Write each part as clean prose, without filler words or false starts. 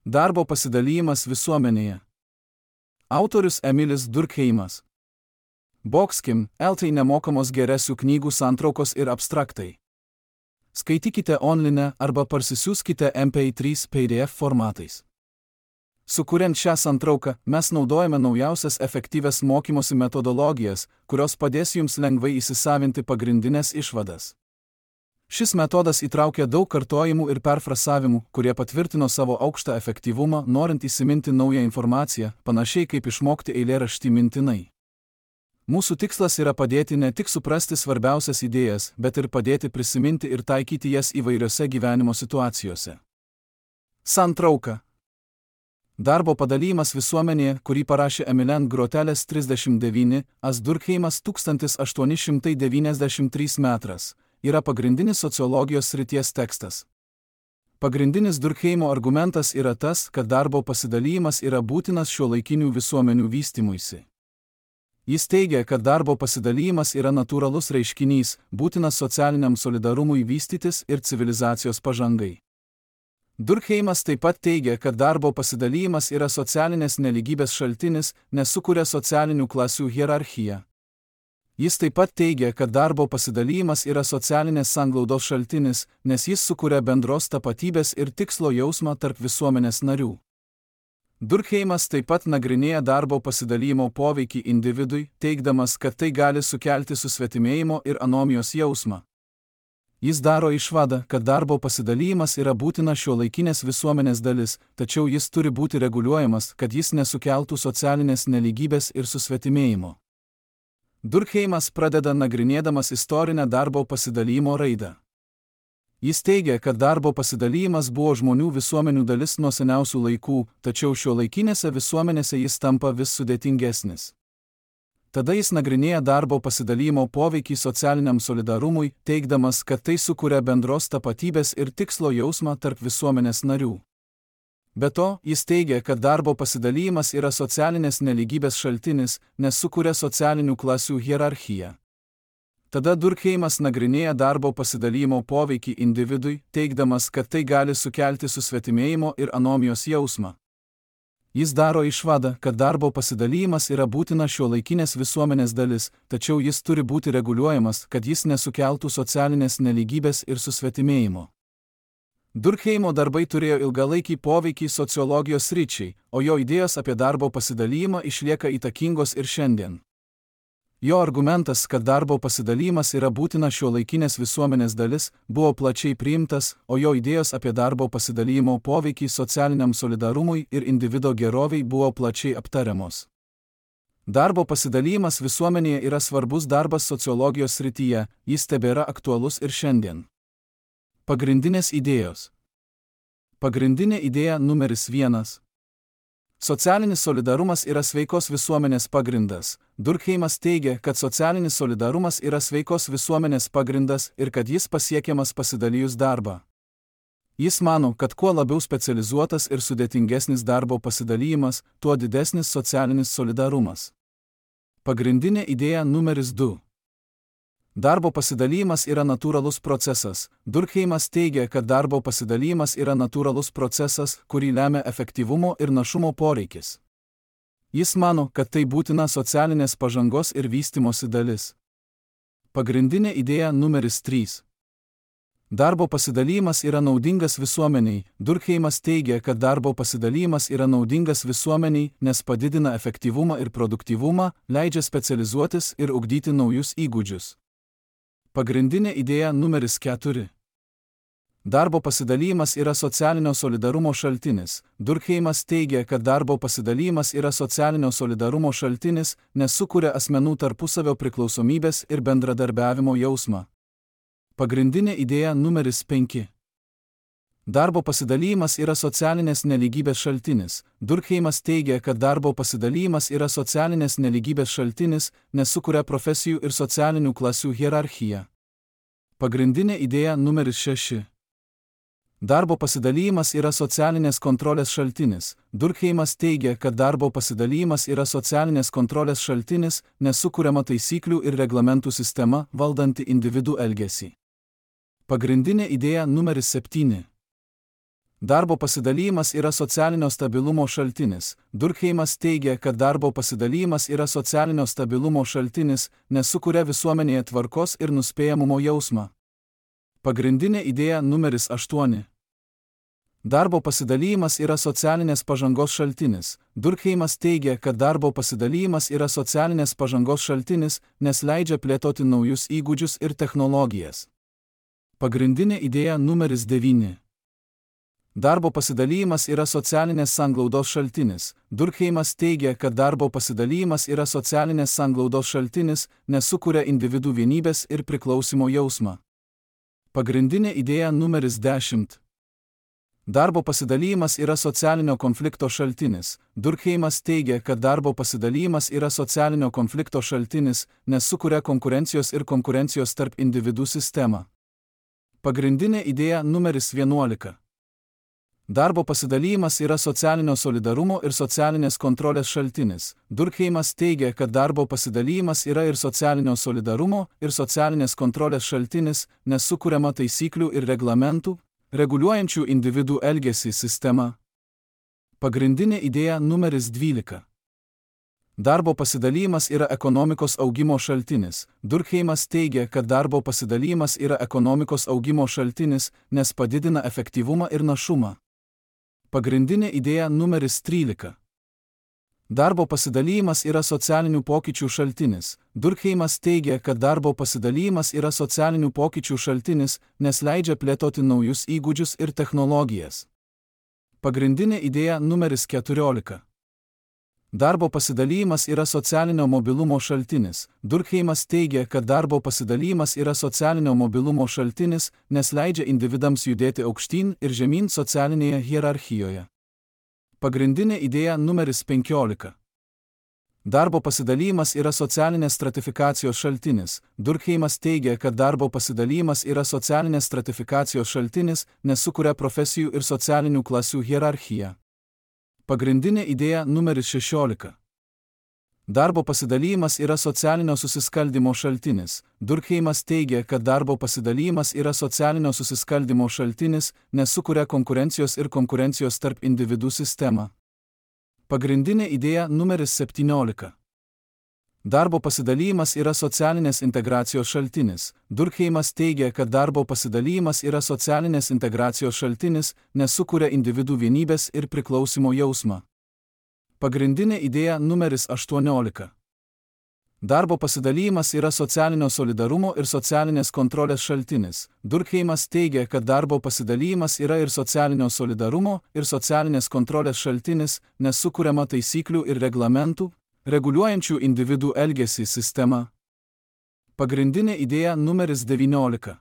Darbo pasidalijimas visuomenėje. Autorius Emilis Durkheimas. Boxkim, LT nemokamos geresių knygų santraukos ir abstraktai. Skaitykite online arba parsisiųskite MP3 PDF formatais. Sukuriant šią santrauką, mes naudojame naujausias efektyvias mokymosi metodologijas, kurios padės jums lengvai įsisavinti pagrindinės išvadas. Šis metodas įtraukia daug kartojimų ir perfrasavimų, kurie patvirtino savo aukštą efektyvumą, norint įsiminti naują informaciją, panašiai kaip išmokti eilėraštį mintinai. Mūsų tikslas yra padėti ne tik suprasti svarbiausias idėjas, bet ir padėti prisiminti ir taikyti jas įvairiose gyvenimo situacijose. Santrauka. Darbo padalijimas visuomenėje, kurį parašė Emilian Groteles 39, As Durkheimas 1893 metras, yra pagrindinis sociologijos srities tekstas. Pagrindinis Durkheimo argumentas yra tas, kad darbo pasidalijimas yra būtinas šiuolaikinių visuomenių vystymuisi. Jis teigia, kad darbo pasidalijimas yra natūralus reiškinys, būtinas socialiniam solidarumui vystytis ir civilizacijos pažangai. Durkheimas taip pat teigia, kad darbo pasidalijimas yra socialinės nelygybės šaltinis, nes sukuria socialinių klasių hierarchiją. Jis taip pat teigia, kad darbo pasidalijimas yra socialinės sanglaudos šaltinis, nes jis sukuria bendros tapatybės ir tikslo jausmą tarp visuomenės narių. Durkheimas taip pat nagrinėja darbo pasidalijimo poveikį individui, teigdamas, kad tai gali sukelti susvetimėjimo ir anomijos jausmą. Jis daro išvadą, kad darbo pasidalijimas yra būtina šiuolaikinės visuomenės dalis, tačiau jis turi būti reguliuojamas, kad jis nesukeltų socialinės nelygybės ir susvetimėjimo. Durkheimas pradeda nagrinėdamas istorinę darbo pasidalijimo raidą. Jis teigia, kad darbo pasidalijimas buvo žmonių visuomenių dalis nuo seniausių laikų, tačiau šiuolaikinėse visuomenėse jis tampa vis sudėtingesnis. Tada jis nagrinėja darbo pasidalijimo poveikį socialiniam solidarumui, teigdamas, kad tai sukuria bendros tapatybės ir tikslo jausmą tarp visuomenės narių. Be to, jis teigia, kad darbo pasidalijimas yra socialinės nelygybės šaltinis, nes sukuria socialinių klasių hierarchiją. Tada Durkheimas nagrinėja darbo pasidalijimo poveikį individui, teigdamas, kad tai gali sukelti susvetimėjimo ir anomijos jausmą. Jis daro išvadą, kad darbo pasidalijimas yra būtina šiuolaikinės visuomenės dalis, tačiau jis turi būti reguliuojamas, kad jis nesukeltų socialinės nelygybės ir susvetimėjimo. Durkheimo darbai turėjo ilgalaikį poveikį sociologijos sričiai, o jo idėjos apie darbo pasidalijimą išlieka įtakingos ir šiandien. Jo argumentas, kad darbo pasidalijimas yra būtina šiuolaikinės visuomenės dalis, buvo plačiai priimtas, o jo idėjos apie darbo pasidalijimo poveikį socialiniam solidarumui ir individo geroviai buvo plačiai aptariamos. Darbo pasidalijimas visuomenėje yra svarbus darbas sociologijos srityje, jis tebėra aktualus ir šiandien. Pagrindinės idėjos. Pagrindinė idėja numeris 1. Socialinis solidarumas yra sveikos visuomenės pagrindas. Durkheimas teigia, kad socialinis solidarumas yra sveikos visuomenės pagrindas ir kad jis pasiekiamas pasidalijus darbą. Jis mano, kad kuo labiau specializuotas ir sudėtingesnis darbo pasidalijimas, tuo didesnis socialinis solidarumas. Pagrindinė idėja numeris 2. Darbo pasidalijimas yra natūralus procesas. Durkheimas teigia, kad darbo pasidalijimas yra natūralus procesas, kurį lemia efektyvumo ir našumo poreikis. Jis mano, kad tai būtina socialinės pažangos ir vystymosi dalis. Pagrindinė idėja numeris 3. Darbo pasidalijimas yra naudingas visuomeniai. Durkheimas teigia, kad darbo pasidalijimas yra naudingas visuomeniai, nes padidina efektyvumą ir produktyvumą, leidžia specializuotis ir ugdyti naujus įgūdžius. Pagrindinė idėja numeris 4. Darbo pasidalijimas yra socialinio solidarumo šaltinis. Durkheimas teigia, kad darbo pasidalijimas yra socialinio solidarumo šaltinis, nes sukuria asmenų tarpusavio priklausomybės ir bendradarbiavimo jausmą. Pagrindinė idėja numeris 5. Darbo pasidalijimas yra socialinės nelygybės šaltinis. Durkheimas teigia, kad darbo pasidalijimas yra socialinės nelygybės šaltinis, nes sukuria profesijų ir socialinių klasių hierarchiją. Pagrindinė idėja numeris 6. Darbo pasidalijimas yra socialinės kontrolės šaltinis. Durkheimas teigia, kad darbo pasidalijimas yra socialinės kontrolės šaltinis, nes sukuriama taisyklių ir reglamentų sistema, valdanti individų elgesį. Pagrindinė idėja numeris 7. Darbo pasidalymas yra socialinio stabilumo šaltinis. Durkheimas teigia, kad darbo pasidalymas yra socialinio stabilumo šaltinis, nes sukuria visuomenėje tvarkos ir nuspėjamumo jausmą. Pagrindinė idėja numeris 8. Darbo pasidalymas yra socialinės pažangos šaltinis. Durkheimas teigia, kad darbo pasidalymas yra socialinės pažangos šaltinis, nes leidžia plėtoti naujus įgūdžius ir technologijas. Pagrindinė idėja numeris 9. Darbo pasidalymas yra socialinės sanglaudos šaltinis. Durkheimas teigia, kad darbo pasidalymas yra socialinės sanglaudos šaltinis, nes sukuria individų vienybės ir priklausimo jausmą. Pagrindinė idėja numeris 10. Darbo pasidalymas yra socialinio konflikto šaltinis. Durkheimas teigia, kad darbo pasidalymas yra socialinio konflikto šaltinis, nes sukuria konkurencijos ir konkurencijos tarp individų sistemą. Pagrindinė idėja numeris 11. Darbo pasidalymas yra socialinio solidarumo ir socialinės kontrolės šaltinis. Durkheimas teigia, kad darbo pasidalymas yra ir socialinio solidarumo ir socialinės kontrolės šaltinis, nes sukuriama taisyklių ir reglamentų, reguliuojančių individų elgesį sistema. Pagrindinė idėja numeris 12. Darbo pasidalymas yra ekonomikos augimo šaltinis. Durkheimas teigia, kad darbo pasidalymas yra ekonomikos augimo šaltinis, nes padidina efektyvumą ir našumą. Pagrindinė idėja numeris 13. Darbo pasidalymas yra socialinių pokyčių šaltinis. Durkheimas teigia, kad darbo pasidalymas yra socialinių pokyčių šaltinis, nes leidžia plėtoti naujus įgūdžius ir technologijas. Pagrindinė idėja numeris 14. Darbo pasidalymas yra socialinio mobilumo šaltinis. Durkheimas teigia, kad darbo pasidalymas yra socialinio mobilumo šaltinis, nes leidžia individams judėti aukštyn ir žemyn socialinėje hierarchijoje. Pagrindinė idėja numeris 15. Darbo pasidalymas yra socialinės stratifikacijos šaltinis. Durkheimas teigia, kad darbo pasidalymas yra socialinės stratifikacijos šaltinis, nes sukuria profesijų ir socialinių klasių hierarchiją. Pagrindinė idėja numeris 16. Darbo pasidalymas yra socialinio susiskaldymo šaltinis. Durkheimas teigia, kad darbo pasidalymas yra socialinio susiskaldymo šaltinis, nes sukuria konkurencijos ir konkurencijos tarp individų sistemą. Pagrindinė idėja numeris 17. Darbo pasidalymas yra socialinės integracijos šaltinis. Durkheimas teigia, kad darbo pasidalymas yra socialinės integracijos šaltinis, nes sukuria individų vienybės ir priklausimo jausmą. Pagrindinė idėja numeris 18. Darbo pasidalymas yra socialinio solidarumo ir socialinės kontrolės šaltinis. Durkheimas teigia, kad darbo pasidalymas yra ir socialinio solidarumo ir socialinės kontrolės šaltinis, nes sukuriama taisyklių ir reglamentų, reguliuojančių individų elgesį sistema. Pagrindinė idėja numeris 19.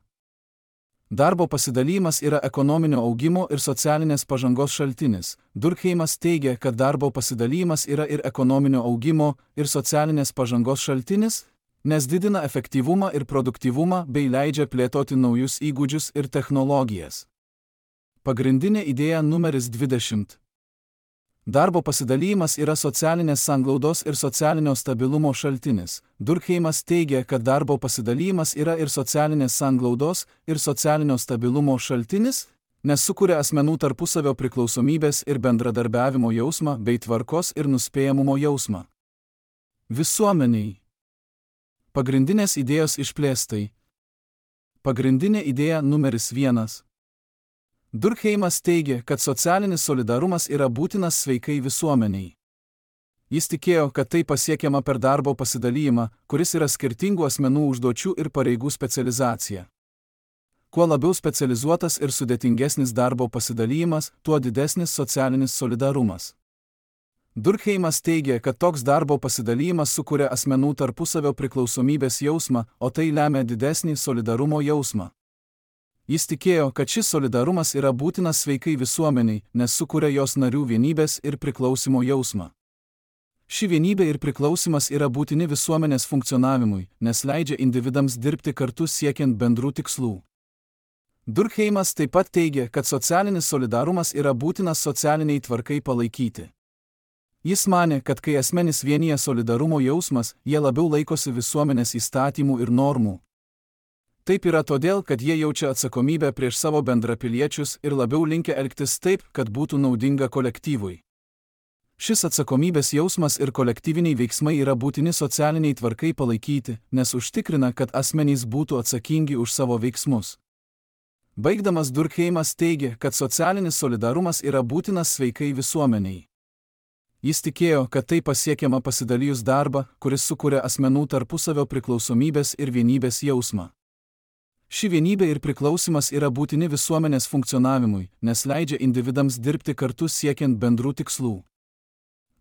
Darbo pasidalymas yra ekonominio augimo ir socialinės pažangos šaltinis. Durkheimas teigia, kad darbo pasidalymas yra ir ekonominio augimo ir socialinės pažangos šaltinis, nes didina efektyvumą ir produktyvumą bei leidžia plėtoti naujus įgūdžius ir technologijas. Pagrindinė idėja numeris 20. Darbo pasidalymas yra socialinės sanglaudos ir socialinio stabilumo šaltinis. Durkheimas teigia, kad darbo pasidalymas yra ir socialinės sanglaudos ir socialinio stabilumo šaltinis, nes sukuria asmenų tarpusavio priklausomybės ir bendradarbiavimo jausmą bei tvarkos ir nuspėjamumo jausmą. Visuomeniai. Pagrindinės idėjos išplėstai. Pagrindinė idėja numeris 1. Durkheimas teigia, kad socialinis solidarumas yra būtinas sveikai visuomeniai. Jis tikėjo, kad tai pasiekiama per darbo pasidalymą, kuris yra skirtingų asmenų užduočių ir pareigų specializacija. Kuo labiau specializuotas ir sudėtingesnis darbo pasidalymas, tuo didesnis socialinis solidarumas. Durkheimas teigia, kad toks darbo pasidalymas sukuria asmenų tarpusavio priklausomybės jausmą, o tai lemia didesnį solidarumo jausmą. Jis tikėjo, kad šis solidarumas yra būtinas sveikai visuomeniai, nes sukuria jos narių vienybės ir priklausimo jausmą. Ši vienybė ir priklausimas yra būtini visuomenės funkcionavimui, nes leidžia individams dirbti kartu siekiant bendrų tikslų. Durkheimas taip pat teigia, kad socialinis solidarumas yra būtinas socialiniai tvarkai palaikyti. Jis manė, kad kai asmenys vienija solidarumo jausmas, jie labiau laikosi visuomenės įstatymų ir normų. Taip yra todėl, kad jie jaučia atsakomybę prieš savo bendrapiliečius ir labiau linkę elgtis taip, kad būtų naudinga kolektyvui. Šis atsakomybės jausmas ir kolektyviniai veiksmai yra būtini socialiniai tvarkai palaikyti, nes užtikrina, kad asmenys būtų atsakingi už savo veiksmus. Baigdamas Durkheimas teigia, kad socialinis solidarumas yra būtinas sveikai visuomeniai. Jis tikėjo, kad tai pasiekiama pasidalijus darbą, kuris sukuria asmenų tarpusavio priklausomybės ir vienybės jausmą. Ši vienybė ir priklausimas yra būtini visuomenės funkcionavimui, nes leidžia individams dirbti kartu siekiant bendrų tikslų.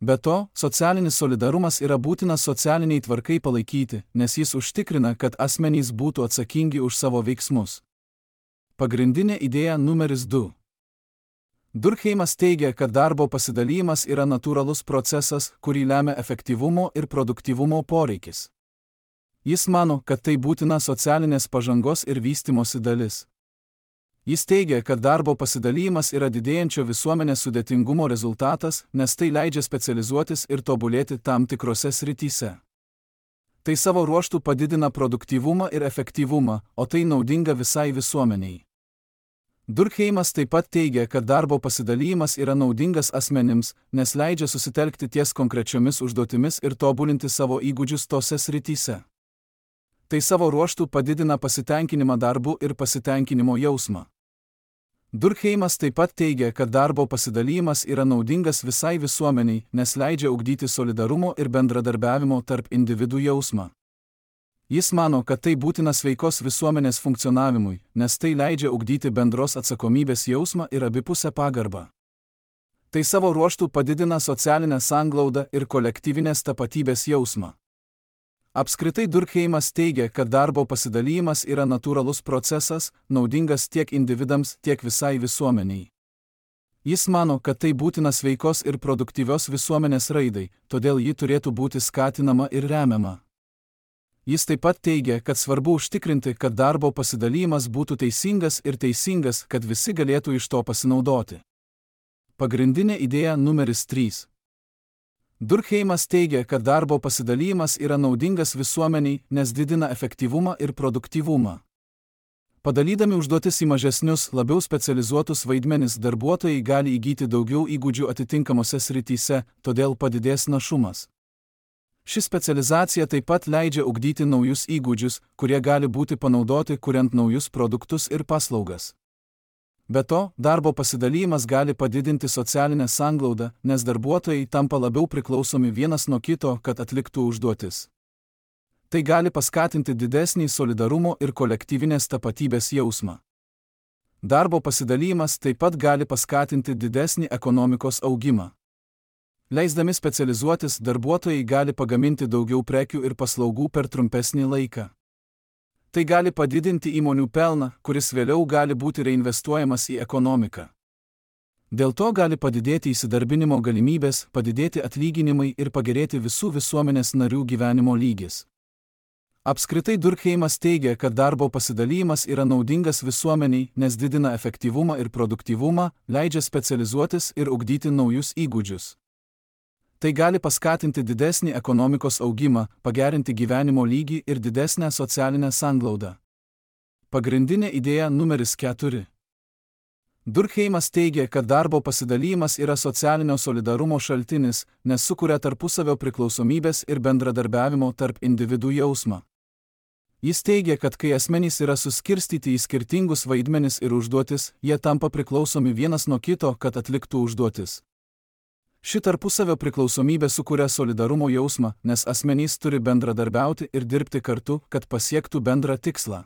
Be to, socialinis solidarumas yra būtinas socialiniai tvarkai palaikyti, nes jis užtikrina, kad asmenys būtų atsakingi už savo veiksmus. Pagrindinė idėja numeris 2. Durkheimas teigia, kad darbo pasidalymas yra natūralus procesas, kurį lemia efektyvumo ir produktyvumo poreikis. Jis mano, kad tai būtina socialinės pažangos ir vystymosi dalis. Jis teigia, kad darbo pasidalymas yra didėjančio visuomenės sudėtingumo rezultatas, nes tai leidžia specializuotis ir tobulėti tam tikrose srityse. Tai savo ruožtu padidina produktyvumą ir efektyvumą, o tai naudinga visai visuomeniai. Durkheimas taip pat teigia, kad darbo pasidalymas yra naudingas asmenims, nes leidžia susitelkti ties konkrečiomis užduotimis ir tobulinti savo įgūdžius tose srityse. Tai savo ruožtu padidina pasitenkinimą darbu ir pasitenkinimo jausmą. Durkheimas taip pat teigia, kad darbo pasidalymas yra naudingas visai visuomeniai, nes leidžia ugdyti solidarumo ir bendradarbiavimo tarp individų jausmą. Jis mano, kad tai būtina sveikos visuomenės funkcionavimui, nes tai leidžia ugdyti bendros atsakomybės jausmą ir abipusę pagarbą. Tai savo ruožtu padidina socialinę sanglaudą ir kolektyvinės tapatybės jausmą. Apskritai Durkheimas teigia, kad darbo pasidalymas yra natūralus procesas, naudingas tiek individams, tiek visai visuomeniai. Jis mano, kad tai būtina sveikos ir produktyvios visuomenės raidai, todėl ji turėtų būti skatinama ir remiama. Jis taip pat teigia, kad svarbu užtikrinti, kad darbo pasidalymas būtų teisingas, kad visi galėtų iš to pasinaudoti. Pagrindinė idėja numeris 3. Durkheimas teigia, kad darbo pasidalymas yra naudingas visuomeniai, nes didina efektyvumą ir produktyvumą. Padalydami užduotis į mažesnius, labiau specializuotus vaidmenis, darbuotojai gali įgyti daugiau įgūdžių atitinkamose srityse, todėl padidės našumas. Ši specializacija taip pat leidžia ugdyti naujus įgūdžius, kurie gali būti panaudoti kuriant naujus produktus ir paslaugas. Be to, darbo pasidalymas gali padidinti socialinę sanglaudą, nes darbuotojai tampa labiau priklausomi vienas nuo kito, kad atliktų užduotis. Tai gali paskatinti didesnį solidarumo ir kolektyvinės tapatybės jausmą. Darbo pasidalymas taip pat gali paskatinti didesnį ekonomikos augimą. Leisdami specializuotis, darbuotojai gali pagaminti daugiau prekių ir paslaugų per trumpesnį laiką. Tai gali padidinti įmonių pelną, kuris vėliau gali būti reinvestuojamas į ekonomiką. Dėl to gali padidėti įsidarbinimo galimybės, padidėti atlyginimai ir pagerėti visų visuomenės narių gyvenimo lygis. Apskritai Durkheimas teigia, kad darbo pasidalymas yra naudingas visuomeniai, nes didina efektyvumą ir produktyvumą, leidžia specializuotis ir ugdyti naujus įgūdžius. Tai gali paskatinti didesnį ekonomikos augimą, pagerinti gyvenimo lygį ir didesnę socialinę sanglaudą. Pagrindinė idėja numeris 4. Durkheimas teigia, kad darbo pasidalymas yra socialinio solidarumo šaltinis, nes sukuria tarpusavio priklausomybės ir bendradarbiavimo tarp individų jausmą. Jis teigia, kad kai asmenys yra suskirstyti į skirtingus vaidmenis ir užduotis, jie tampa priklausomi vienas nuo kito, kad atliktų užduotis. Ši tarpusavio priklausomybė sukuria solidarumo jausmą, nes asmenys turi bendradarbiauti ir dirbti kartu, kad pasiektų bendrą tikslą.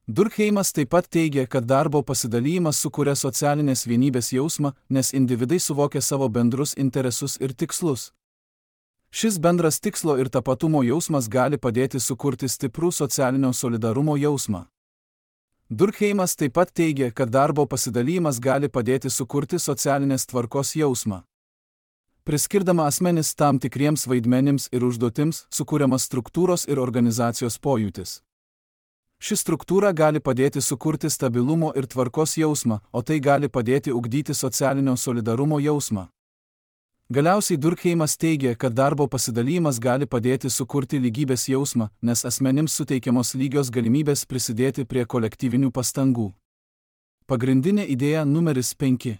Durkheimas taip pat teigia, kad darbo pasidalymas sukuria socialinės vienybės jausmą, nes individai suvokia savo bendrus interesus ir tikslus. Šis bendras tikslo ir tapatumo jausmas gali padėti sukurti stiprų socialinio solidarumo jausmą. Durkheimas taip pat teigia, kad darbo pasidalymas gali padėti sukurti socialinės tvarkos jausmą. Priskirdama asmenis tam tikriems vaidmenims ir užduotims, sukūriamas struktūros ir organizacijos pojūtis. Ši struktūra gali padėti sukurti stabilumo ir tvarkos jausmą, o tai gali padėti ugdyti socialinio solidarumo jausmą. Galiausiai Durkheimas teigia, kad darbo pasidalymas gali padėti sukurti lygybės jausmą, nes asmenims suteikiamos lygios galimybės prisidėti prie kolektyvinių pastangų. Pagrindinė idėja numeris 5.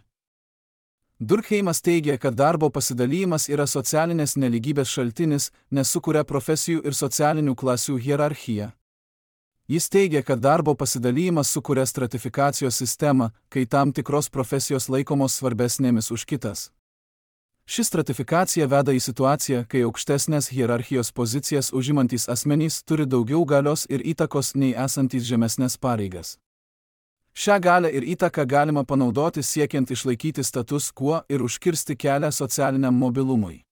Durkheimas teigia, kad darbo pasidalymas yra socialinės nelygybės šaltinis, nes sukuria profesijų ir socialinių klasių hierarchiją. Jis teigia, kad darbo pasidalymas sukuria stratifikacijos sistemą, kai tam tikros profesijos laikomos svarbesnėmis už kitas. Ši stratifikacija veda į situaciją, kai aukštesnės hierarchijos pozicijas užimantys asmenys turi daugiau galios ir įtakos nei esantys žemesnės pareigas. Šią galią ir įtaką galima panaudoti siekiant išlaikyti status quo ir užkirsti kelią socialiniam mobilumui.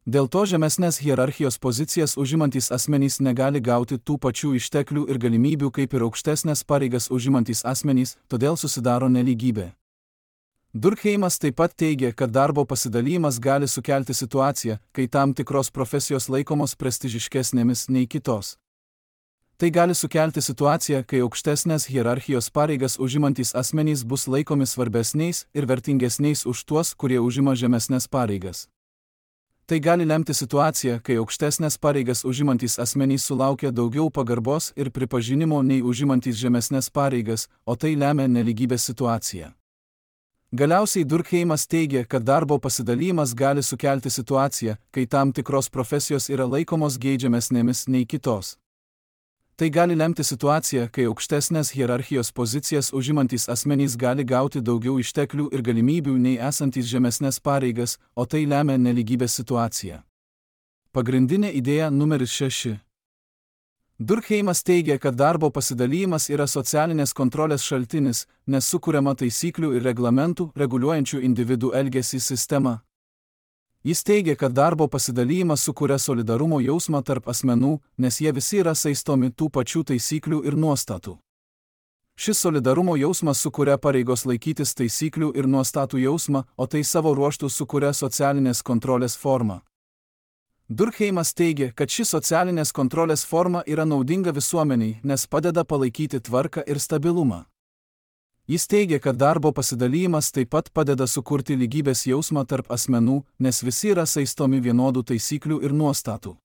Dėl to žemesnės hierarchijos pozicijas užimantys asmenys negali gauti tų pačių išteklių ir galimybių kaip ir aukštesnės pareigas užimantys asmenys, todėl susidaro nelygybė. Durkheimas taip pat teigia, kad darbo pasidalymas gali sukelti situaciją, kai tam tikros profesijos laikomos prestižiškesnėmis nei kitos. Tai gali sukelti situaciją, kai aukštesnės hierarchijos pareigas užimantys asmenys bus laikomi svarbesniais ir vertingesniais už tuos, kurie užima žemesnės pareigas. Tai gali lemti situaciją, kai aukštesnės pareigas užimantys asmenys sulaukia daugiau pagarbos ir pripažinimo nei užimantys žemesnės pareigas, o tai lemia nelygybės situaciją. Galiausiai Durkheimas teigia, kad darbo pasidalymas gali sukelti situaciją, kai tam tikros profesijos yra laikomos geidžiamesnėmis nei kitos. Tai gali lemti situaciją, kai aukštesnės hierarchijos pozicijas užimantys asmenys gali gauti daugiau išteklių ir galimybių nei esantys žemesnės pareigas, o tai lemia nelygybės situaciją. Pagrindinė idėja numeris 6. Durkheimas teigia, kad darbo pasidalymas yra socialinės kontrolės šaltinis, nes sukuriama taisyklių ir reglamentų, reguliuojančių individų elgesį sistema. Jis teigia, kad darbo pasidalymas sukuria solidarumo jausmą tarp asmenų, nes jie visi yra saistomi tų pačių taisyklių ir nuostatų. Šis solidarumo jausmas sukuria pareigos laikytis taisyklių ir nuostatų jausmą, o tai savo ruožtu sukuria socialinės kontrolės formą. Durkheimas teigia, kad ši socialinės kontrolės forma yra naudinga visuomeniai, nes padeda palaikyti tvarką ir stabilumą. Jis teigia, kad darbo pasidalymas taip pat padeda sukurti lygybės jausmą tarp asmenų, nes visi yra saistomi vienodų taisyklių ir nuostatų.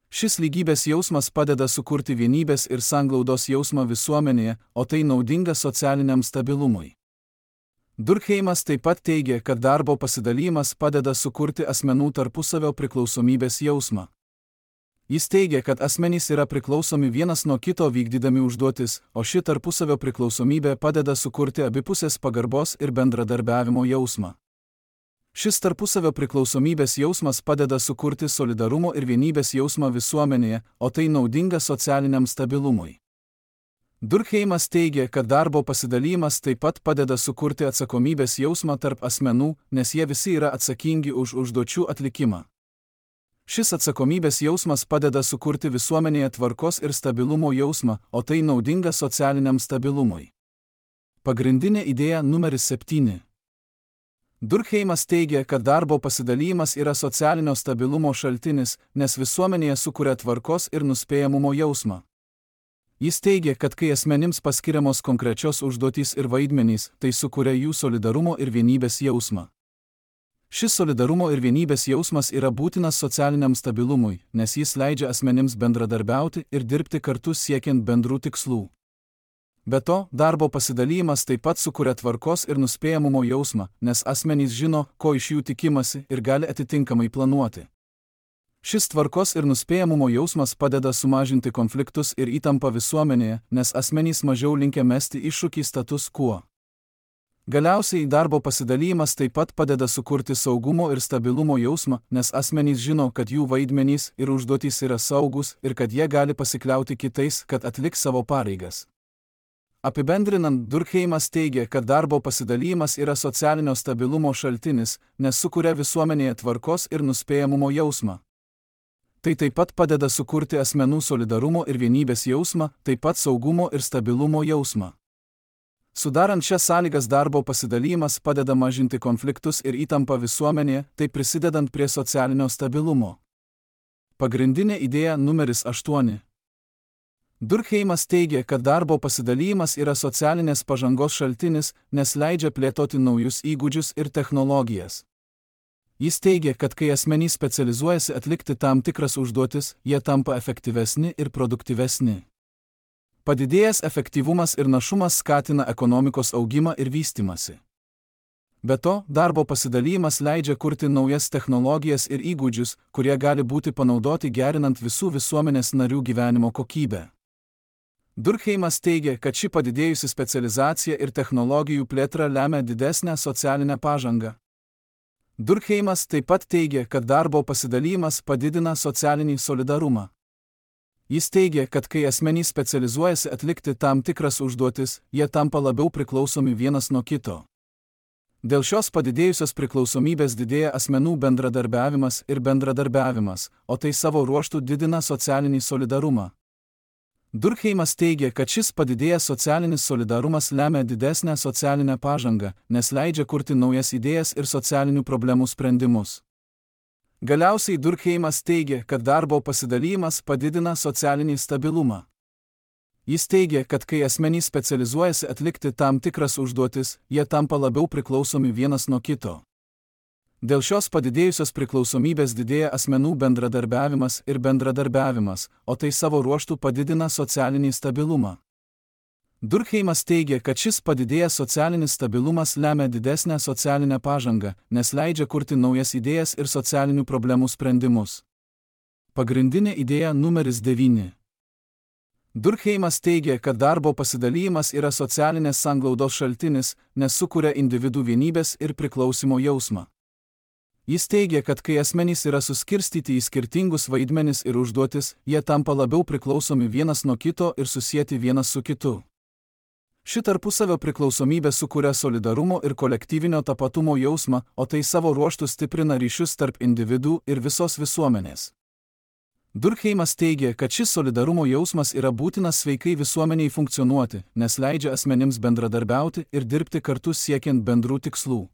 Šis lygybės jausmas padeda sukurti vienybės ir sanglaudos jausmą visuomenėje, o tai naudinga socialiniam stabilumui. Durkheimas taip pat teigia, kad darbo pasidalymas padeda sukurti asmenų tarpusavio priklausomybės jausmą. Jis teigia, kad asmenys yra priklausomi vienas nuo kito vykdydami užduotis, o ši tarpusavio priklausomybė padeda sukurti abipusės pagarbos ir bendradarbiavimo jausmą. Šis tarpusavio priklausomybės jausmas padeda sukurti solidarumo ir vienybės jausmą visuomenėje, o tai naudinga socialiniam stabilumui. Durkheimas teigia, kad darbo pasidalymas taip pat padeda sukurti atsakomybės jausmą tarp asmenų, nes jie visi yra atsakingi už užduočių atlikimą. Šis atsakomybės jausmas padeda sukurti visuomenėje tvarkos ir stabilumo jausmą, o tai naudinga socialiniam stabilumui. Pagrindinė idėja numeris 7. Durkheimas teigia, kad darbo pasidalymas yra socialinio stabilumo šaltinis, nes visuomenėje sukuria tvarkos ir nuspėjamumo jausmą. Jis teigia, kad kai asmenims paskiriamos konkrečios užduotys ir vaidmenys, tai sukuria jų solidarumo ir vienybės jausmą. Šis solidarumo ir vienybės jausmas yra būtinas socialiniam stabilumui, nes jis leidžia asmenims bendradarbiauti ir dirbti kartu siekiant bendrų tikslų. Be to, darbo pasidalymas taip pat sukuria tvarkos ir nuspėjamumo jausmą, nes asmenys žino, ko iš jų tikimasi ir gali atitinkamai planuoti. Šis tvarkos ir nuspėjamumo jausmas padeda sumažinti konfliktus ir įtampą visuomenėje, nes asmenys mažiau linkę mesti iššūkį status quo. Galiausiai darbo pasidalymas taip pat padeda sukurti saugumo ir stabilumo jausmą, nes asmenys žino, kad jų vaidmenys ir užduotys yra saugus ir kad jie gali pasikliauti kitais, kad atliks savo pareigas. Apibendrinant, Durkheimas teigia, kad darbo pasidalymas yra socialinio stabilumo šaltinis, nes sukuria visuomenėje tvarkos ir nuspėjamumo jausmą. Tai taip pat padeda sukurti asmenų solidarumo ir vienybės jausmą, taip pat saugumo ir stabilumo jausmą. Sudarant šias sąlygas darbo pasidalymas padeda mažinti konfliktus ir įtampą visuomenėje, tai prisidedant prie socialinio stabilumo. Pagrindinė idėja numeris 8. Durkheimas teigia, kad darbo pasidalymas yra socialinės pažangos šaltinis, nes leidžia plėtoti naujus įgūdžius ir technologijas. Jis teigia, kad kai asmenys specializuojasi atlikti tam tikras užduotis, jie tampa efektyvesni ir produktyvesni. Padidėjęs efektyvumas ir našumas skatina ekonomikos augimą ir vystymąsi. Be to, darbo pasidalymas leidžia kurti naujas technologijas ir įgūdžius, kurie gali būti panaudoti gerinant visų visuomenės narių gyvenimo kokybę. Durkheimas teigia, kad ši padidėjusi specializacija ir technologijų plėtra lemia didesnę socialinę pažangą. Durkheimas taip pat teigia, kad darbo pasidalymas padidina socialinį solidarumą. Jis teigia, kad kai asmenys specializuojasi atlikti tam tikras užduotis, jie tampa labiau priklausomi vienas nuo kito. Dėl šios padidėjusios priklausomybės didėja asmenų bendradarbiavimas, o tai savo ruožtu didina socialinį solidarumą. Durkheimas teigia, kad šis padidėjęs socialinis solidarumas lemia didesnę socialinę pažangą, nes leidžia kurti naujas idėjas ir socialinių problemų sprendimus. Galiausiai Durkheimas teigia, kad darbo pasidalymas padidina socialinį stabilumą. Jis teigia, kad kai asmenys specializuojasi atlikti tam tikras užduotis, jie tampa labiau priklausomi vienas nuo kito. Dėl šios padidėjusios priklausomybės didėja asmenų bendradarbiavimas, o tai savo ruožtu padidina socialinį stabilumą. Durkheimas teigia, kad šis padidėjęs socialinis stabilumas lemia didesnę socialinę pažangą, nes leidžia kurti naujas idėjas ir socialinių problemų sprendimus. Pagrindinė idėja numeris 9. Durkheimas teigia, kad darbo pasidalymas yra socialinės sanglaudos šaltinis, nes sukuria individų vienybės ir priklausimo jausmą. Jis teigia, kad kai asmenys yra suskirstyti į skirtingus vaidmenis ir užduotis, jie tampa labiau priklausomi vienas nuo kito ir susieti vienas su kitu. Ši tarpusavio priklausomybė sukuria solidarumo ir kolektyvinio tapatumo jausmą, o tai savo ruožtu stiprina ryšius tarp individų ir visos visuomenės. Durkheimas teigia, kad šis solidarumo jausmas yra būtinas sveikai visuomeniai funkcionuoti, nes leidžia asmenims bendradarbiauti ir dirbti kartu siekiant bendrų tikslų.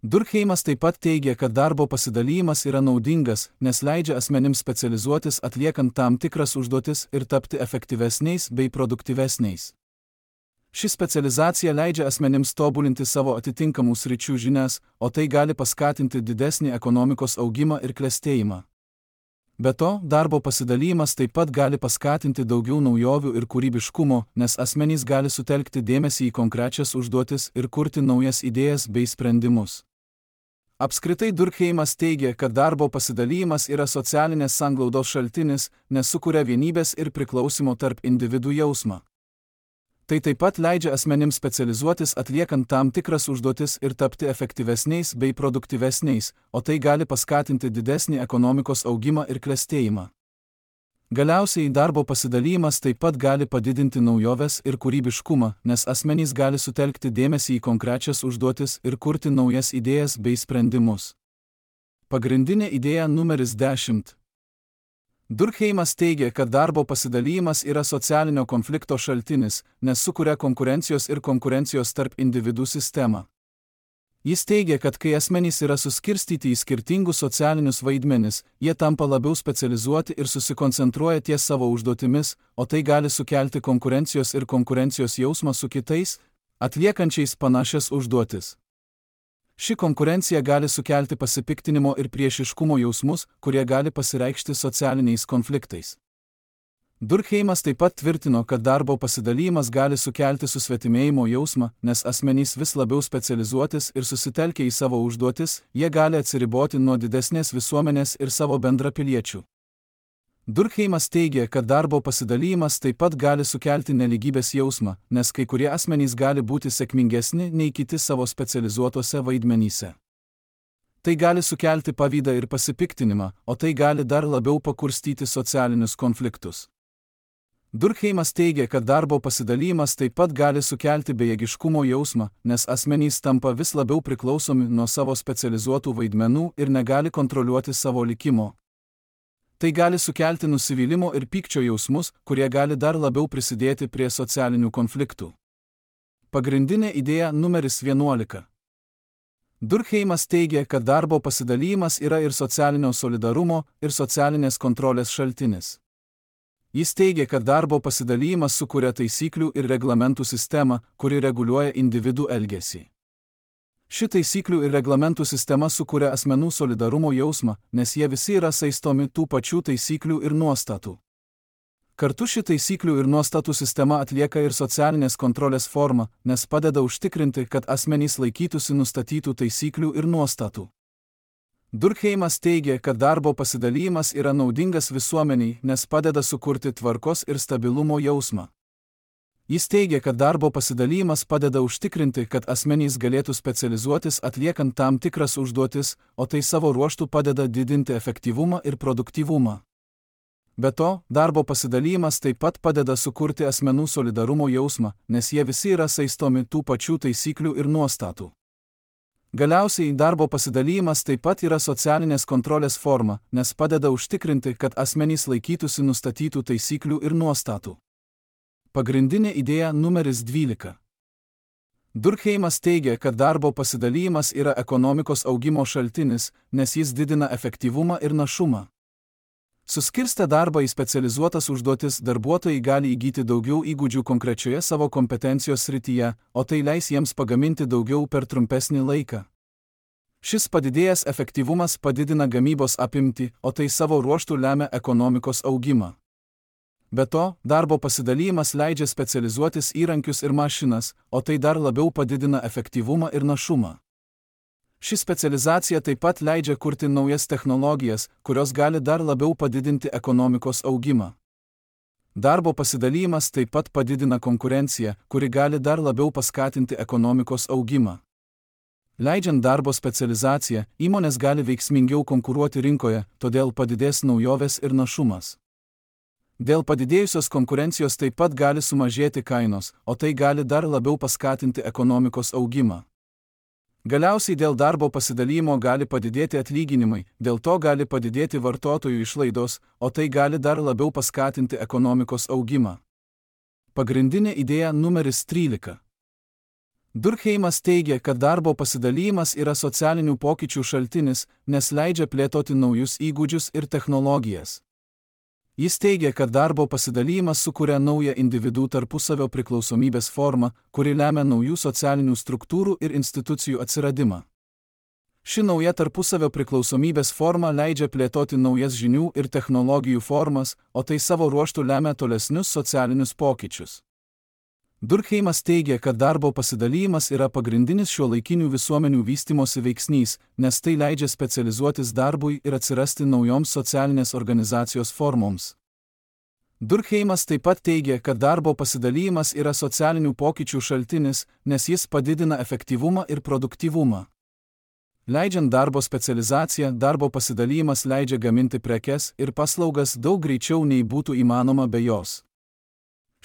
Durkheimas taip pat teigia, kad darbo pasidalymas yra naudingas, nes leidžia asmenims specializuotis atliekant tam tikras užduotis ir tapti efektyvesniais bei produktyvesniais. Ši specializacija leidžia asmenims tobulinti savo atitinkamų sričių žinias, o tai gali paskatinti didesnį ekonomikos augimą ir klestėjimą. Be to, darbo pasidalymas taip pat gali paskatinti daugiau naujovių ir kūrybiškumo, nes asmenys gali sutelkti dėmesį į konkrečias užduotis ir kurti naujas idėjas bei sprendimus. Apskritai Durkheimas teigia, kad darbo pasidalymas yra socialinės sanglaudos šaltinis, nes sukuria vienybės ir priklausimo tarp individų jausmą. Tai taip pat leidžia asmenims specializuotis atliekant tam tikras užduotis ir tapti efektyvesniais bei produktyvesniais, o tai gali paskatinti didesnį ekonomikos augimą ir klestėjimą. Galiausiai darbo pasidalymas taip pat gali padidinti naujoves ir kūrybiškumą, nes asmenys gali sutelkti dėmesį į konkrečias užduotis ir kurti naujas idėjas bei sprendimus. Pagrindinė idėja numeris 10. Durkheimas teigia, kad darbo pasidalymas yra socialinio konflikto šaltinis, nes sukuria konkurencijos ir konkurencijos tarp individų sistemą. Jis teigia, kad kai asmenys yra suskirstyti į skirtingus socialinius vaidmenis, jie tampa labiau specializuoti ir susikoncentruoja ties savo užduotimis, o tai gali sukelti konkurencijos ir konkurencijos jausmą su kitais, atliekančiais panašias užduotis. Ši konkurencija gali sukelti pasipiktinimo ir priešiškumo jausmus, kurie gali pasireikšti socialiniais konfliktais. Durkheimas taip pat tvirtino, kad darbo pasidalymas gali sukelti susvetimėjimo jausmą, nes asmenys vis labiau specializuotis ir susitelkę į savo užduotis, jie gali atsiriboti nuo didesnės visuomenės ir savo bendrapiliečių. Durkheimas teigia, kad darbo pasidalymas taip pat gali sukelti nelygybės jausmą, nes kai kurie asmenys gali būti sėkmingesni nei kiti savo specializuotose vaidmenyse. Tai gali sukelti pavydą ir pasipiktinimą, o tai gali dar labiau pakurstyti socialinius konfliktus. Durkheimas teigia, kad darbo pasidalymas taip pat gali sukelti bejėgiškumo jausmą, nes asmenys tampa vis labiau priklausomi nuo savo specializuotų vaidmenų ir negali kontroliuoti savo likimo. Tai gali sukelti nusivylimo ir pykčio jausmus, kurie gali dar labiau prisidėti prie socialinių konfliktų. Pagrindinė idėja numeris 11. Durkheimas teigia, kad darbo pasidalymas yra ir socialinio solidarumo, ir socialinės kontrolės šaltinis. Jis teigia, kad darbo pasidalymas sukuria taisyklių ir reglamentų sistemą, kuri reguliuoja individų elgesį. Ši taisyklių ir reglamentų sistema sukuria asmenų solidarumo jausmą, nes jie visi yra saistomi tų pačių taisyklių ir nuostatų. Kartu ši taisyklių ir nuostatų sistema atlieka ir socialinės kontrolės formą, nes padeda užtikrinti, kad asmenys laikytųsi nustatytų taisyklių ir nuostatų. Durkheimas teigia, kad darbo pasidalymas yra naudingas visuomeniai, nes padeda sukurti tvarkos ir stabilumo jausmą. Jis teigia, kad darbo pasidalymas padeda užtikrinti, kad asmenys galėtų specializuotis atliekant tam tikras užduotis, o tai savo ruožtu padeda didinti efektyvumą ir produktyvumą. Be to, darbo pasidalymas taip pat padeda sukurti asmenų solidarumo jausmą, nes jie visi yra saistomi tų pačių taisyklių ir nuostatų. Galiausiai, darbo pasidalymas taip pat yra socialinės kontrolės forma, nes padeda užtikrinti, kad asmenys laikytųsi nustatytų taisyklių ir nuostatų. Pagrindinė idėja numeris 12. Durkheimas teigia, kad darbo pasidalymas yra ekonomikos augimo šaltinis, nes jis didina efektyvumą ir našumą. Suskirstę darbą į specializuotas užduotis, darbuotojai gali įgyti daugiau įgūdžių konkrečioje savo kompetencijos srityje, o tai leis jiems pagaminti daugiau per trumpesnį laiką. Šis padidėjęs efektyvumas padidina gamybos apimtį, o tai savo ruožtu lemia ekonomikos augimą. Be to, darbo pasidalymas leidžia specializuotis įrankius ir mašinas, o tai dar labiau padidina efektyvumą ir našumą. Ši specializacija taip pat leidžia kurti naujas technologijas, kurios gali dar labiau padidinti ekonomikos augimą. Darbo pasidalymas taip pat padidina konkurenciją, kuri gali dar labiau paskatinti ekonomikos augimą. Leidžiant darbo specializaciją, įmonės gali veiksmingiau konkuruoti rinkoje, todėl padidės naujovės ir našumas. Dėl padidėjusios konkurencijos taip pat gali sumažėti kainos, o tai gali dar labiau paskatinti ekonomikos augimą. Galiausiai dėl darbo pasidalymo gali padidėti atlyginimai, dėl to gali padidėti vartotojų išlaidos, o tai gali dar labiau paskatinti ekonomikos augimą. Pagrindinė idėja numeris 13. Durkheimas teigia, kad darbo pasidalymas yra socialinių pokyčių šaltinis, nes leidžia plėtoti naujus įgūdžius ir technologijas. Jis teigia, kad darbo pasidalymas sukuria naują individų tarpusavio priklausomybės formą, kuri lemia naujų socialinių struktūrų ir institucijų atsiradimą. Ši nauja tarpusavio priklausomybės forma leidžia plėtoti naujas žinių ir technologijų formas, o tai savo ruožtu lemia tolesnius socialinius pokyčius. Durkheimas teigia, kad darbo pasidalymas yra pagrindinis šiuolaikinių visuomenių vystymosi veiksnys, nes tai leidžia specializuotis darbui ir atsirasti naujoms socialinės organizacijos formoms. Durkheimas taip pat teigia, kad darbo pasidalymas yra socialinių pokyčių šaltinis, nes jis padidina efektyvumą ir produktyvumą. Leidžiant darbo specializaciją, darbo pasidalymas leidžia gaminti prekes ir paslaugas daug greičiau nei būtų įmanoma be jos.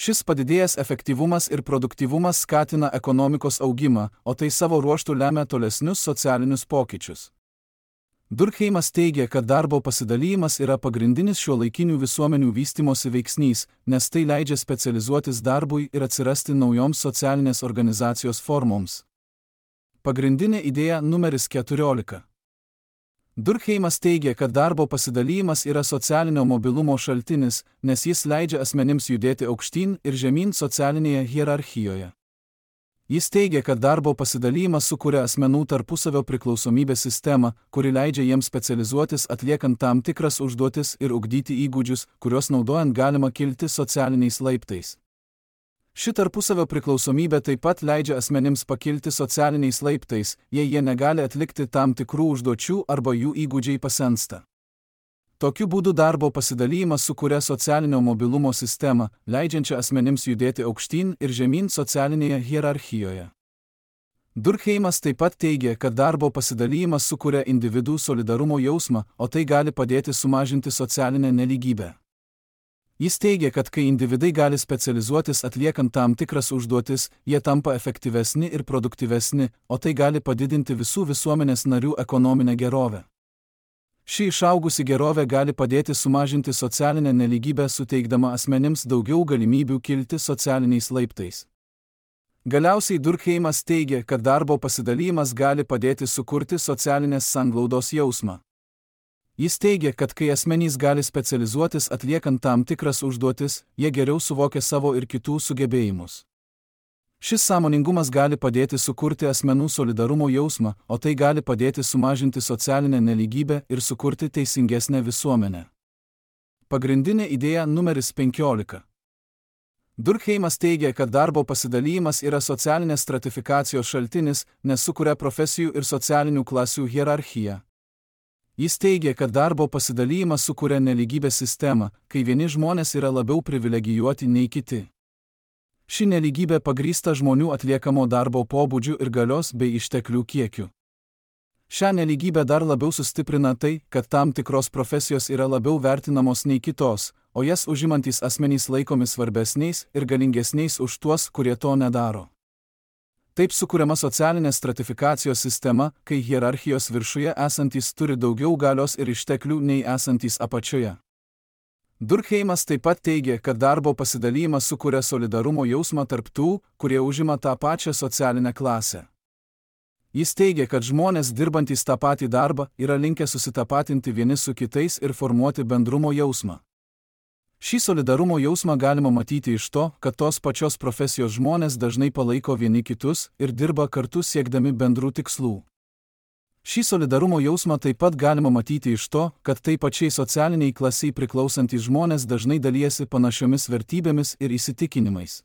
Šis padidėjęs efektyvumas ir produktyvumas skatina ekonomikos augimą, o tai savo ruožtu lemia tolesnius socialinius pokyčius. Durkheimas teigia, kad darbo pasidalymas yra pagrindinis šiuolaikinių visuomenių vystymosi veiksnys, nes tai leidžia specializuotis darbui ir atsirasti naujoms socialinės organizacijos formoms. Pagrindinė idėja numeris 14. Durkheimas teigia, kad darbo pasidalymas yra socialinio mobilumo šaltinis, nes jis leidžia asmenims judėti aukštyn ir žemyn socialinėje hierarchijoje. Jis teigia, kad darbo pasidalymas sukuria asmenų tarpusavio priklausomybės sistemą, kuri leidžia jiems specializuotis atliekant tam tikras užduotis ir ugdyti įgūdžius, kuriuos naudojant galima kilti socialiniais laiptais. Ši tarpusavio priklausomybė taip pat leidžia asmenims pakilti socialiniais laiptais, jei jie negali atlikti tam tikrų užduočių arba jų įgūdžiai pasensta. Tokiu būdu darbo pasidalymas sukuria socialinio mobilumo sistemą, leidžiančią asmenims judėti aukštyn ir žemyn socialinėje hierarchijoje. Durkheimas taip pat teigia, kad darbo pasidalymas sukuria individų solidarumo jausmą, o tai gali padėti sumažinti socialinę nelygybę. Jis teigia, kad kai individai gali specializuotis atliekant tam tikras užduotis, jie tampa efektyvesni ir produktyvesni, o tai gali padidinti visų visuomenės narių ekonominę gerovę. Ši išaugusi gerovė gali padėti sumažinti socialinę nelygybę, suteikdama asmenims daugiau galimybių kilti socialiniais laiptais. Galiausiai Durkheimas teigia, kad darbo pasidalymas gali padėti sukurti socialinės sanglaudos jausmą. Jis teigia, kad kai asmenys gali specializuotis atliekant tam tikras užduotis, jie geriau suvokia savo ir kitų sugebėjimus. Šis sąmoningumas gali padėti sukurti asmenų solidarumo jausmą, o tai gali padėti sumažinti socialinę nelygybę ir sukurti teisingesnę visuomenę. Pagrindinė idėja numeris 15. Durkheimas teigia, kad darbo pasidalymas yra socialinės stratifikacijos šaltinis, nes sukuria profesijų ir socialinių klasių hierarchiją. Jis teigia, kad darbo pasidalymas sukuria nelygybės sistemą, kai vieni žmonės yra labiau privilegijuoti nei kiti. Ši nelygybė pagrįsta žmonių atliekamo darbo pobūdžiu ir galios bei išteklių kiekiu. Šią nelygybę dar labiau sustiprina tai, kad tam tikros profesijos yra labiau vertinamos nei kitos, o jas užimantys asmenys laikomi svarbesniais ir galingesniais už tuos, kurie to nedaro. Taip sukuriama socialinės stratifikacijos sistema, kai hierarchijos viršuje esantys turi daugiau galios ir išteklių nei esantys apačioje. Durkheimas taip pat teigia, kad darbo pasidalymas sukuria solidarumo jausmą tarp tų, kurie užima tą pačią socialinę klasę. Jis teigia, kad žmonės dirbantys tą patį darbą yra linkę susitapatinti vieni su kitais ir formuoti bendrumo jausmą. Šį solidarumo jausmą galima matyti iš to, kad tos pačios profesijos žmonės dažnai palaiko vieni kitus ir dirba kartu siekdami bendrų tikslų. Šį solidarumo jausmą taip pat galima matyti iš to, kad tai pačiai socialiniai klasiai priklausantys žmonės dažnai dalijasi panašiomis vertybėmis ir įsitikinimais.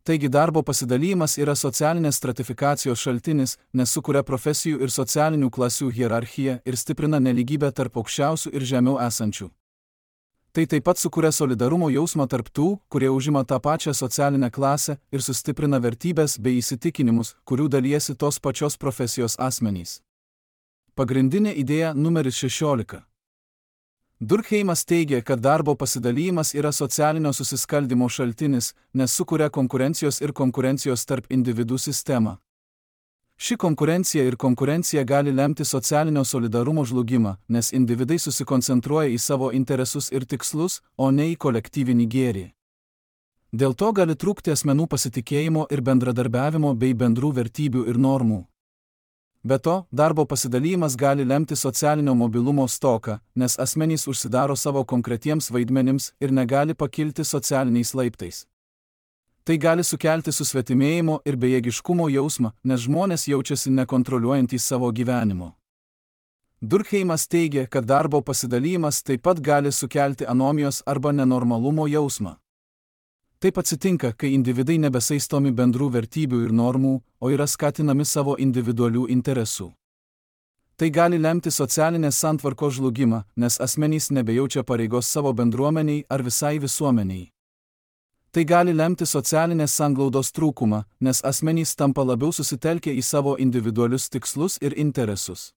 Taigi darbo pasidalymas yra socialinės stratifikacijos šaltinis, nes sukuria profesijų ir socialinių klasių hierarchiją ir stiprina nelygybę tarp aukščiausių ir žemiau esančių. Tai taip pat sukuria solidarumo jausmą tarp tų, kurie užima tą pačią socialinę klasę ir sustiprina vertybės bei įsitikinimus, kurių dalijasi tos pačios profesijos asmenys. Pagrindinė idėja numeris 16. Durkheimas teigia, kad darbo pasidalymas yra socialinio susiskaldymo šaltinis, nes sukuria konkurencijos ir konkurencijos tarp individų sistemą. Ši konkurencija gali lemti socialinio solidarumo žlugimą, nes individai susikoncentruoja į savo interesus ir tikslus, o ne į kolektyvinį gėrį. Dėl to gali trūkti asmenų pasitikėjimo ir bendradarbiavimo bei bendrų vertybių ir normų. Be to, darbo pasidalymas gali lemti socialinio mobilumo stoką, nes asmenys užsidaro savo konkretiems vaidmenims ir negali pakilti socialiniais laiptais. Tai gali sukelti susvetimėjimo ir bejėgiškumo jausmą, nes žmonės jaučiasi nekontroliuojantys savo gyvenimo. Durkheimas teigia, kad darbo pasidalymas taip pat gali sukelti anomijos arba nenormalumo jausmą. Taip atsitinka, kai individai nebesaistomi bendrų vertybių ir normų, o yra skatinami savo individualių interesų. Tai gali lemti socialinės santvarkos žlugimą, nes asmenys nebejaučia pareigos savo bendruomeniai ar visai visuomeniai. Tai gali lemti socialinės sanglaudos trūkumą, nes asmenys tampa labiau susitelkę į savo individualius tikslus ir interesus.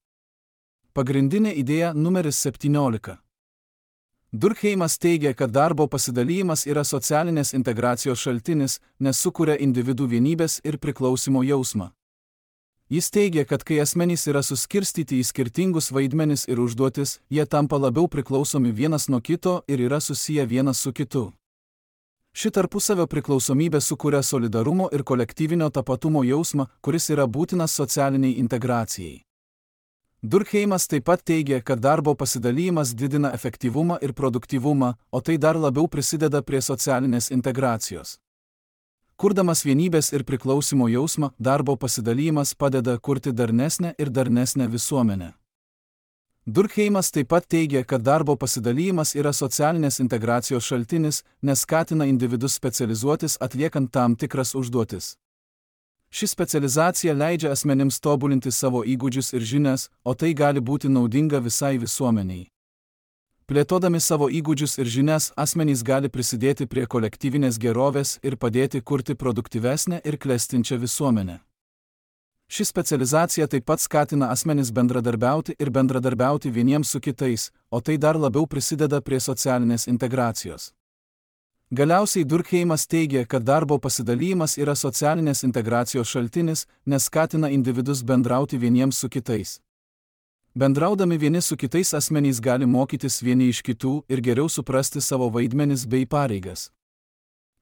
Pagrindinė idėja numeris 17. Durkheimas teigia, kad darbo pasidalymas yra socialinės integracijos šaltinis, nes sukuria individų vienybės ir priklausimo jausmą. Jis teigia, kad kai asmenys yra suskirstyti į skirtingus vaidmenis ir užduotis, jie tampa labiau priklausomi vienas nuo kito ir yra susiję vienas su kitu. Ši tarpusavio priklausomybė sukuria solidarumo ir kolektyvinio tapatumo jausmą, kuris yra būtinas socialiniai integracijai. Durkheimas taip pat teigia, kad darbo pasidalymas didina efektyvumą ir produktyvumą, o tai dar labiau prisideda prie socialinės integracijos. Kurdamas vienybės ir priklausimo jausmą, darbo pasidalymas padeda kurti darnesnę ir darnesnę visuomenę. Durkheimas taip pat teigia, kad darbo pasidalymas yra socialinės integracijos šaltinis, nes skatina individus specializuotis atliekant tam tikras užduotis. Ši specializacija leidžia asmenims tobulinti savo įgūdžius ir žinias, o tai gali būti naudinga visai visuomeniai. Plėtodami savo įgūdžius ir žinias, asmenys gali prisidėti prie kolektyvinės gerovės ir padėti kurti produktyvesnę ir klestinčią visuomenę. Ši specializacija taip pat skatina asmenis bendradarbiauti vieniems su kitais, o tai dar labiau prisideda prie socialinės integracijos. Galiausiai Durkheimas teigia, kad darbo pasidalymas yra socialinės integracijos šaltinis, nes skatina individus bendrauti vieniems su kitais. Bendraudami vieni su kitais asmenys gali mokytis vieni iš kitų ir geriau suprasti savo vaidmenis bei pareigas.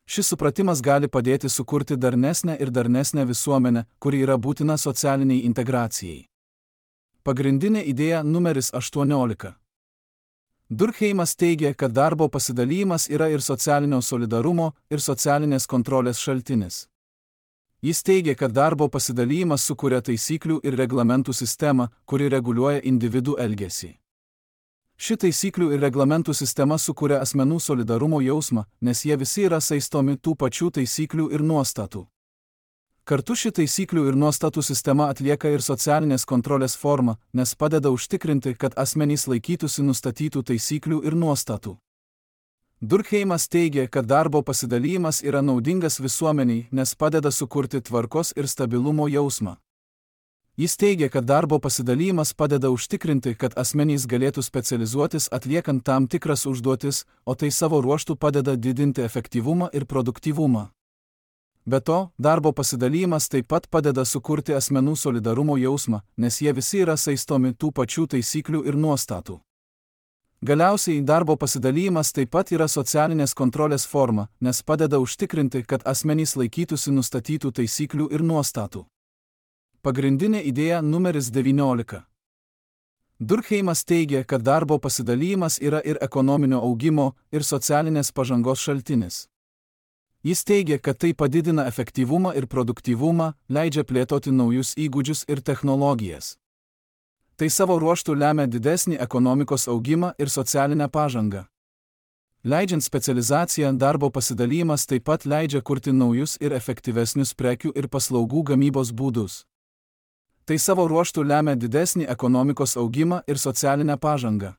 Šis supratimas gali padėti sukurti darnesnę ir darnesnę visuomenę, kuri yra būtina socialiniai integracijai. Pagrindinė idėja numeris 18. Durkheimas teigia, kad darbo pasidalymas yra ir socialinio solidarumo, ir socialinės kontrolės šaltinis. Jis teigia, kad darbo pasidalymas sukuria taisyklių ir reglamentų sistemą, kuri reguliuoja individų elgesį. Ši taisyklių ir reglamentų sistema sukuria asmenų solidarumo jausmą, nes jie visi yra saistomi tų pačių taisyklių ir nuostatų. Kartu ši taisyklių ir nuostatų sistema atlieka ir socialinės kontrolės formą, nes padeda užtikrinti, kad asmenys laikytųsi nustatytų taisyklių ir nuostatų. Durkheimas teigia, kad darbo pasidalymas yra naudingas visuomeniai, nes padeda sukurti tvarkos ir stabilumo jausmą. Jis teigia, kad darbo pasidalymas padeda užtikrinti, kad asmenys galėtų specializuotis atliekant tam tikras užduotis, o tai savo ruožtu padeda didinti efektyvumą ir produktyvumą. Be to, darbo pasidalymas taip pat padeda sukurti asmenų solidarumo jausmą, nes jie visi yra saistomi tų pačių taisyklių ir nuostatų. Galiausiai, darbo pasidalymas taip pat yra socialinės kontrolės forma, nes padeda užtikrinti, kad asmenys laikytųsi nustatytų taisyklių ir nuostatų. Pagrindinė idėja numeris 19. Durkheimas teigia, kad darbo pasidalymas yra ir ekonominio augimo, ir socialinės pažangos šaltinis. Jis teigia, kad tai padidina efektyvumą ir produktyvumą, leidžia plėtoti naujus įgūdžius ir technologijas. Tai savo ruožtu lemia didesnį ekonomikos augimą ir socialinę pažangą. Leidžiant specializaciją, darbo pasidalymas taip pat leidžia kurti naujus ir efektyvesnius prekių ir paslaugų gamybos būdus. Tai savo ruožtu lemia didesnį ekonomikos augimą ir socialinę pažangą.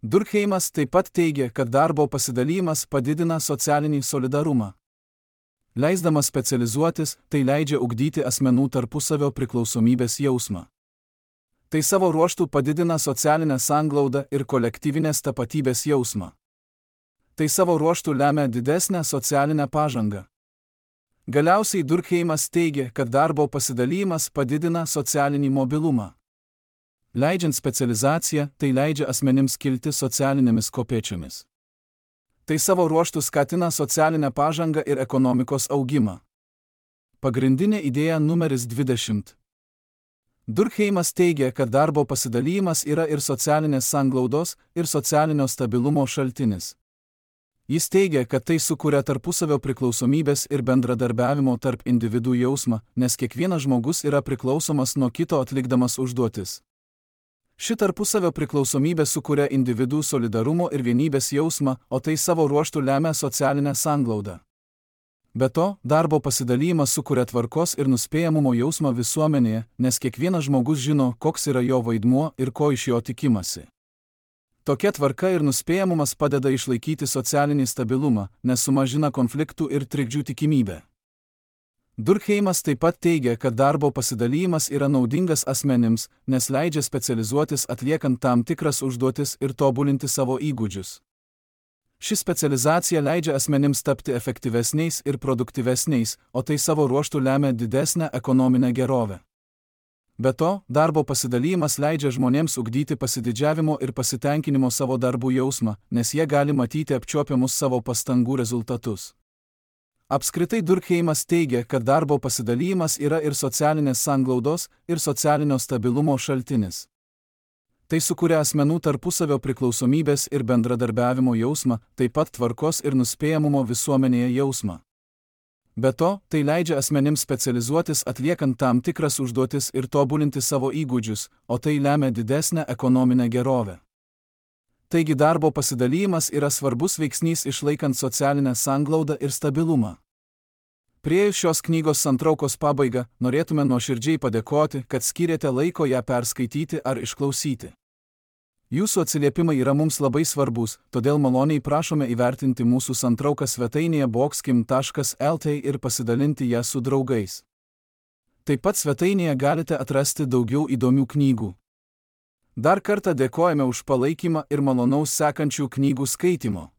Durkheimas taip pat teigia, kad darbo pasidalymas padidina socialinį solidarumą. Leisdamas specializuotis, tai leidžia ugdyti asmenų tarpusavio priklausomybės jausmą. Tai savo ruožtu padidina socialinę sanglaudą ir kolektyvinės tapatybės jausmą. Tai savo ruožtu lemia didesnę socialinę pažangą. Galiausiai Durkheimas teigia, kad darbo pasidalymas padidina socialinį mobilumą. Leidžiant specializaciją, tai leidžia asmenims kilti socialinėmis kopėčiomis. Tai savo ruožtu skatina socialinę pažangą ir ekonomikos augimą. Pagrindinė idėja numeris 20. Durkheimas teigia, kad darbo pasidalymas yra ir socialinės sanglaudos, ir socialinio stabilumo šaltinis. Jis teigia, kad tai sukuria tarpusavio priklausomybės ir bendradarbiavimo tarp individų jausmą, nes kiekvienas žmogus yra priklausomas nuo kito atlikdamas užduotis. Ši tarpusavio priklausomybė sukuria individų solidarumo ir vienybės jausmą, o tai savo ruožtu lemia socialinę sanglaudą. Be to, darbo pasidalymas sukuria tvarkos ir nuspėjamumo jausmą visuomenėje, nes kiekvienas žmogus žino, koks yra jo vaidmuo ir ko iš jo tikimasi. Tokia tvarka ir nuspėjamumas padeda išlaikyti socialinį stabilumą, nes sumažina konfliktų ir trikdžių tikimybę. Durkheimas taip pat teigia, kad darbo pasidalymas yra naudingas asmenims, nes leidžia specializuotis atliekant tam tikras užduotis ir tobulinti savo įgūdžius. Ši specializacija leidžia asmenims tapti efektyvesniais ir produktyvesniais, o tai savo ruožtu lemia didesnę ekonominę gerovę. Be to, darbo pasidalymas leidžia žmonėms ugdyti pasididžiavimo ir pasitenkinimo savo darbų jausmą, nes jie gali matyti apčiuopiamus savo pastangų rezultatus. Apskritai Durkheimas teigia, kad darbo pasidalymas yra ir socialinės sanglaudos, ir socialinio stabilumo šaltinis. Tai sukuria asmenų tarpusavio priklausomybės ir bendradarbiavimo jausmą, taip pat tvarkos ir nuspėjamumo visuomenėje jausmą. Be to, tai leidžia asmenims specializuotis atliekant tam tikras užduotis ir tobulinti savo įgūdžius, o tai lemia didesnę ekonominę gerovę. Taigi darbo pasidalymas yra svarbus veiksnys išlaikant socialinę sanglaudą ir stabilumą. Priėjus šios knygos santraukos pabaigą, norėtume nuoširdžiai padėkoti, kad skyrėte laiko ją perskaityti ar išklausyti. Jūsų atsiliepimai yra mums labai svarbus, todėl maloniai prašome įvertinti mūsų santrauką svetainėje boxkim.lt ir pasidalinti ją su draugais. Taip pat svetainėje galite atrasti daugiau įdomių knygų. Dar kartą dėkojame už palaikymą ir malonaus sekančių knygų skaitimo.